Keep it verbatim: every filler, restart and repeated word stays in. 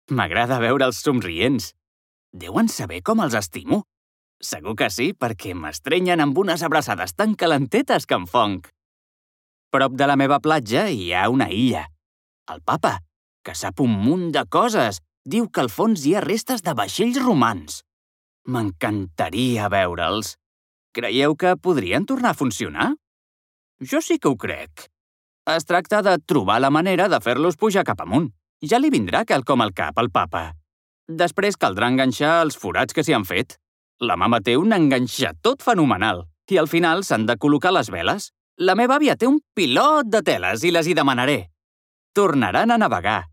M'agrada veure'ls somrients. Deuen saber com els estimo. Segur que sí, perquè m'estrenyen amb unes abraçades tan calentetes que em fonc. Prop de la meva platja hi ha una illa. El papa, que sap un munt de coses, diu que al fons hi ha restes de vaixells romans. M'encantaria veure'ls. Creieu que podrien tornar a funcionar? Jo sí que ho crec. Es tracta de trobar la manera de fer-los pujar cap amunt. Ja li vindrà quelcom al cap al papa. Després caldrà enganxar els forats que s'hi han fet. La mama té un enganxatot fenomenal i al final s'han de col·locar les veles. La meva àvia té un pilot de teles i les hi demanaré. Tornaran a navegar.